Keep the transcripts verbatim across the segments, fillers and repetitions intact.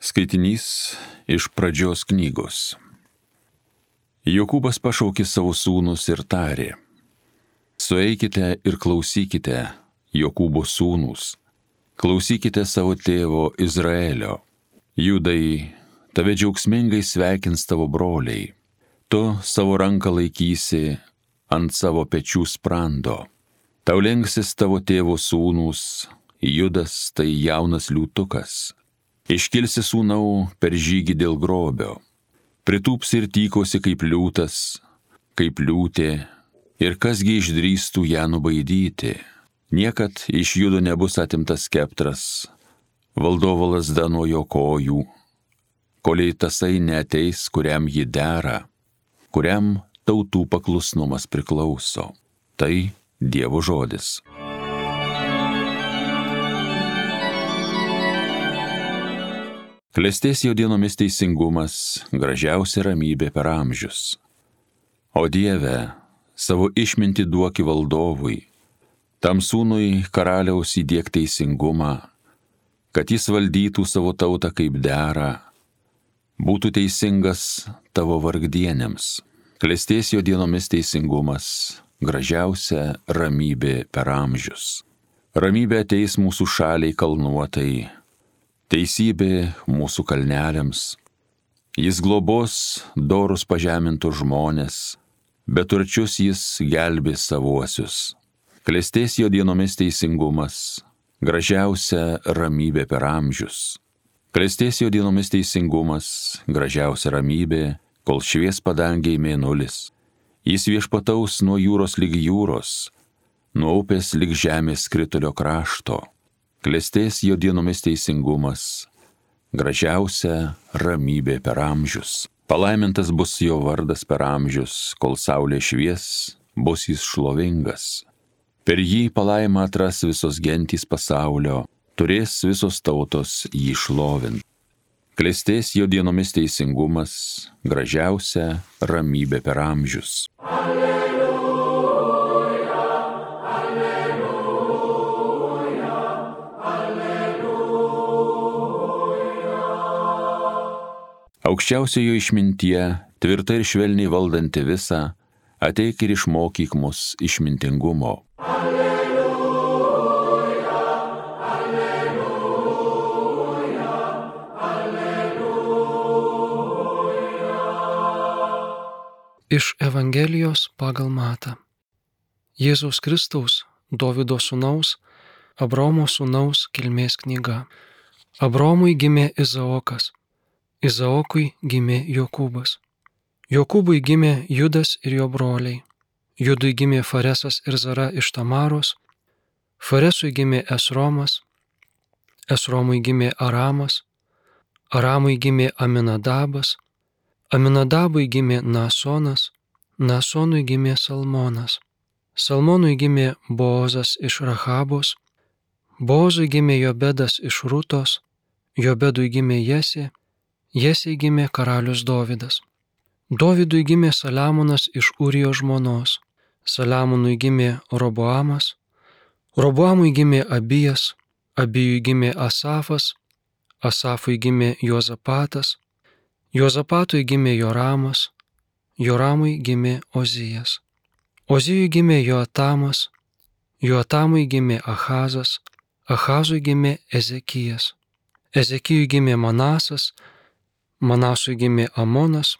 Skaitinys iš Pradžios knygos. Jokūbas pašaukė savo sūnus ir tarė: Sueikite ir klausykite, Jokūbo sūnūs, klausykite savo tėvo Izraelio. Judai, tave džiaugsmingai sveikins tavo broliai, tu savo ranką laikysi ant savo pečių sprando. Tau lenksis tavo tėvo sūnūs, Judas tai jaunas liūtukas. Iškilsi sūnau per žygį dėl grobio, pritūpsi ir tykosi kaip liūtas, kaip liūtė, ir kasgi išdrįstų ją nubaidyti. Niekad iš Judo nebus atimtas skeptras, valdovo lazda nuo jo kojų, kolei tasai neateis, kuriam ji dera, kuriam tautų paklusnumas priklauso. Tai Dievo žodis. Klestės jo dienomis teisingumas, gražiausia ramybė per amžius. O Dieve, savo išmintį duoki valdovui, tam sūnui karaliaus įdiek teisingumą, kad jis valdytų savo tautą kaip dera, būtų teisingas tavo vargdienėms. Klestės jo dienomis teisingumas, gražiausia ramybė per amžius. Ramybė ateis mūsų šaliai kalnuotai, teisybė mūsų kalneliams. Jis globos dorus pažemintus žmonės, bet turčius jis gelbės savuosius. Klestės jo dienomis teisingumas, gražiausia ramybė per amžius. Klestės jo dienomis teisingumas, gražiausia ramybė, kol švies padangiai mėnulis. Jis viešpataus nuo jūros lig jūros, nuo upės lig žemės skritulio krašto. Klestės jo dienomis teisingumas, gražiausia ramybė per amžius. Palaimintas bus jo vardas per amžius, kol saulė švies, bus jis šlovingas. Per jį palaimą atras visos gentys pasaulio, turės visos tautos jį šlovint. Klestės jo dienomis teisingumas, gražiausia ramybė per amžius. Aukščiausiojo išmintie, tvirta ir švelniai valdanti visą, ateik ir išmokyk mus išmintingumo. Alleluja, alleluja, alleluja. Iš Evangelijos pagal Matą. Jėzaus Kristaus, Dovydo sūnaus, Abraomo sūnaus kilmės knyga. Abraomui gimė Izaokas. Izaokui gimė Jokūbas. Jokūbui gimė Judas ir jo broliai. Judui gimė Faresas ir Zara iš Tamaros. Faresui gimė Esromas. Esromui gimė Aramas. Aramui gimė Aminadabas. Aminadabui gimė Naasonas. Naasonui gimė Salmonas. Salmonui gimė Boozas iš Rahabos. Boozui gimė Jobedas iš Rutos. Jobedui gimė Jesė. Jesei gimė karalius Dovydas. Dovydui gimė Saliamonas iš Urijo žmonos. Saliamonui gimė Roboamas. Roboamui gimė Abijas. Abijui gimė Asafas. Asafui gimė Jozapatas. Jozapatui gimė Joramas. Joramui gimė Ozijas. Ozijui gimė Joatamas. Joatamui gimė Ahazas. Ahazui gimė Ezekijas. Ezekijui gimė Manasas. Manasui gimė Amonas,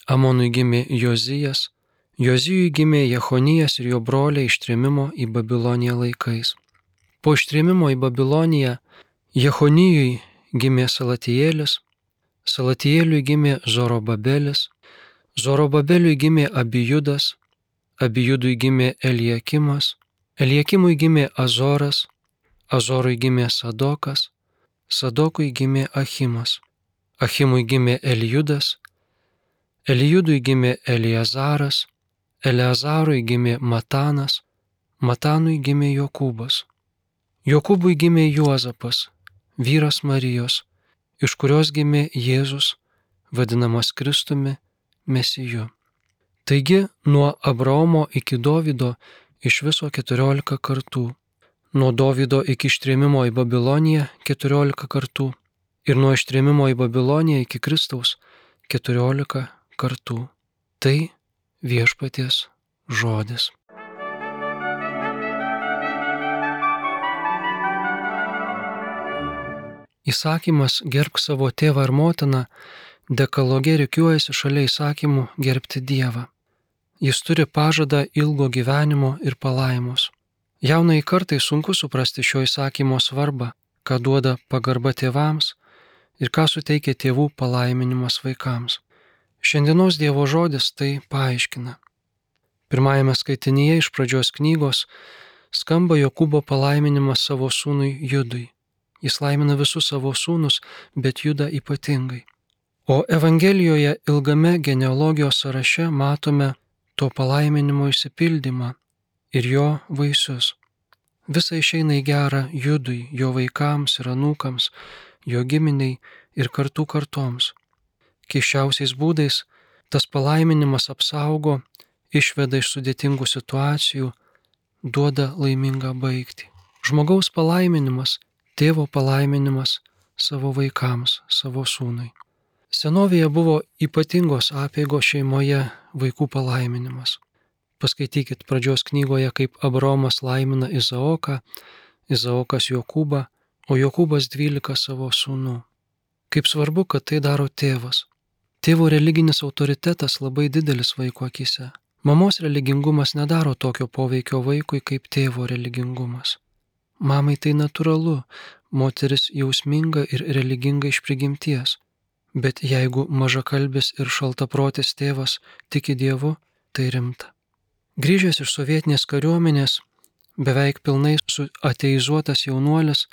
Amonui gimė Jozijas, Jozijui gimė Jechonijas ir jo broliai ištrėmimo į Babiloniją laikais. Po ištrėmimo į Babiloniją Jechonijui gimė Salatijėlis, Salatijėliui gimė Zorobabelis, Zorobabeliui gimė Abijudas, Abijudui gimė Eliakimas, Eliakimui gimė Azoras, Azorui gimė Sadokas, Sadokui gimė Achimas. Achimui gimė Elijudas, Elijudui gimė Eliazaras, Eleazarui gimė Matanas, Matanui gimė Jokūbas. Jokūbui gimė Juozapas, vyras Marijos, iš kurios gimė Jėzus, vadinamas Kristumi, Mesiju. Taigi, nuo Abraomo iki Dovydo iš viso keturiolika kartų, nuo Dovydo iki ištrėmimo į Babiloniją keturiolika kartų, ir nuo ištrėmimo į Babiloniją iki Kristaus keturiolika kartų. Tai viešpaties žodis. Įsakymas gerbk savo tėvą ir motiną dekaloge rikiuojasi šalia įsakymų gerbti Dievą. Jis turi pažadą ilgo gyvenimo ir palaimos. Jaunai kartai sunku suprasti šio įsakymo svarbą, ką duoda pagarba tėvams ir ką suteikia tėvų palaiminimas vaikams. Šiandienos Dievo žodis tai paaiškina. Pirmajame skaitinyje iš pradžios knygos skamba Jokūbo palaiminimas savo sūnui Judui. Jis laimina visus savo sūnus, bet Judą ypatingai. O Evangelijoje ilgame genealogijos sąraše matome to palaiminimo išsipildymą ir jo vaisius. Visa išeina į gerą Judui, jo vaikams ir anūkams, jo giminiai ir kartų kartoms. Keisčiausiais būdais tas palaiminimas apsaugo, išveda iš sudėtingų situacijų, duoda laimingą baigtį. Žmogaus palaiminimas, tėvo palaiminimas savo vaikams, savo sūnui. Senovėje buvo ypatingos apeigos šeimoje vaikų palaiminimas. Paskaitykit pradžios knygoje, kaip Abraomas laimina Izaoką, Izaokas Jokūbą, o Jokūbas dvylika savo sūnų. Kaip svarbu, kad tai daro tėvas. Tėvo religinis autoritetas labai didelis vaiko akise. Mamos religingumas nedaro tokio poveikio vaikui kaip tėvo religingumas. Mamai tai natūralu, moteris jausminga ir religinga iš prigimties, bet jeigu mažakalbis ir šaltaprotis tėvas tiki Dievu, tai rimta. Grįžęs iš sovietinės kariuomenės, beveik pilnai suateizuotas jaunuolis,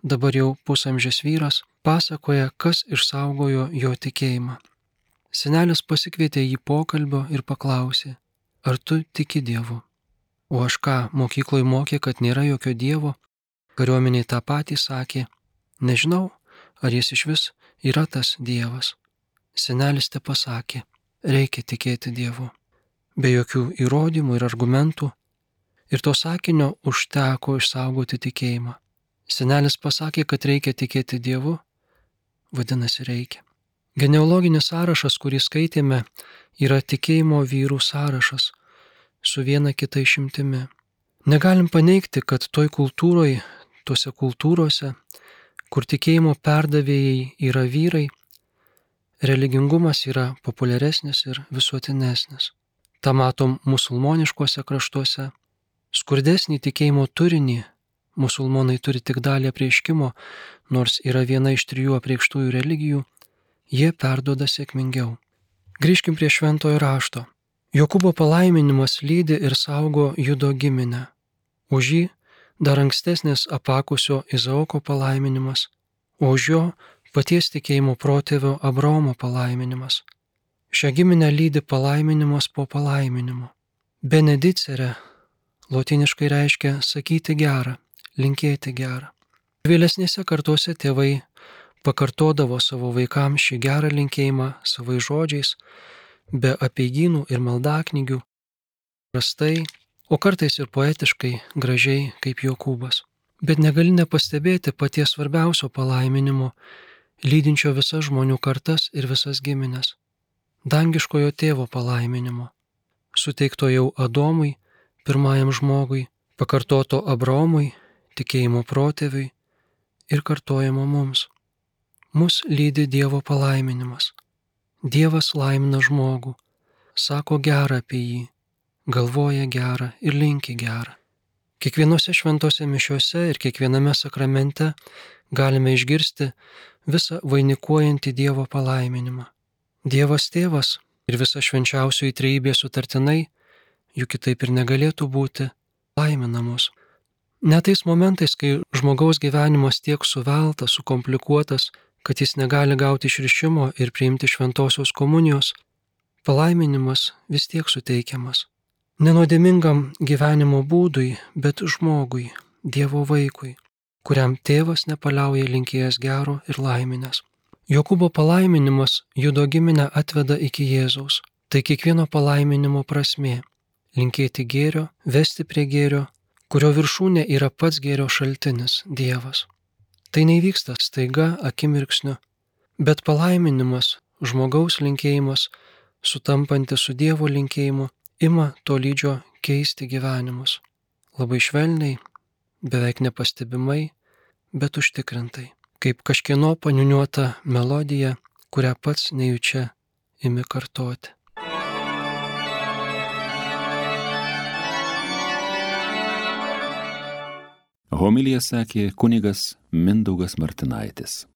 dabar jau pusamžis vyras, pasakoja, kas išsaugojo jo tikėjimą. Senelis pasikvietė jį pokalbio ir paklausė, ar tu tiki Dievu? O aš ką, mokykloje mokė, kad nėra jokio Dievo? Kariuomeniai tą patį sakė, nežinau, ar jis iš vis yra tas Dievas. Senelis te pasakė, reikia tikėti Dievu. Be jokių įrodymų ir argumentų, ir to sakinio užteko išsaugoti tikėjimą. Senelis pasakė, kad reikia tikėti Dievu, vadinasi reikia. Genealoginis sąrašas, kurį skaitėme, yra tikėjimo vyrų sąrašas, su viena kita išimtimi. Negalim paneigti, kad toj kultūroje, tuose kultūrose, kur tikėjimo perdavėjai yra vyrai, religingumas yra populiaresnis ir visuotinesnis. Ta matom musulmoniškuose kraštuose. Skurdesnį tikėjimo turinį musulmonai turi tik dalį apreiškimo, nors yra viena iš trijų apreikštųjų religijų, jie perduoda sėkmingiau. Grįžkim prie šventojo rašto. Jokūbo palaiminimas lydi ir saugo Judo giminę. Už jį dar ankstesnis apakusio Izaoko palaiminimas, o už jo paties tikėjimo protėvio Abraomo palaiminimas. Šią giminę lydi palaiminimas po palaiminimo. Benedicere lotyniškai reiškia sakyti gerą, linkėti gerą. Vėlesnėse kartuose tėvai pakartodavo savo vaikams šį gerą linkėjimą savais žodžiais, be apeigynų ir maldaknygių, prastai, o kartais ir poetiškai, gražiai kaip Jokūbas. Bet negali nepastebėti paties svarbiausio palaiminimo, lydinčio visas žmonių kartas ir visas giminės. Dangiškojo tėvo palaiminimo, suteikto jau Adomui, pirmajam žmogui, pakartoto Abraomui, tikėjimo protėviui ir kartojamo mums. Mus lydi Dievo palaiminimas. Dievas laimina žmogų, sako gerą apie jį, galvoja gerą ir linki gerą. Kiekvienose šventose mišiuose ir kiekviename sakramente galime išgirsti visą vainikuojantį Dievo palaiminimą. Dievas tėvas ir visa švenčiausioji trejybė sutartinai, juk kitaip ir negalėtų būti, laimina mus. Net tais momentais, kai žmogaus gyvenimas tiek suveltas, sukomplikuotas, kad jis negali gauti išrišimo ir priimti šventosios komunijos, palaiminimas vis tiek suteikiamas. Nenuodėmingam gyvenimo būdui, bet žmogui, Dievo vaikui, kuriam tėvas nepaliauja linkėjęs gero ir laiminės. Jokūbo palaiminimas Judo giminę atveda iki Jėzaus. Tai kiekvieno palaiminimo prasmė - linkėti gėrio, vesti prie gėrio, kurio viršūnė yra pats gėrio šaltinis - Dievas. Tai neįvyksta staiga akimirksniu, bet palaiminimas, žmogaus linkėjimas, sutampantis su Dievo linkėjimu, ima tolydžio keisti gyvenimus. Labai švelniai, beveik nepastebimai, bet užtikrintai, kaip kažkieno paniuniuota melodija, kurią pats nejučia imi kartoti. Homiliją sakė kunigas Mindaugas Martinaitis.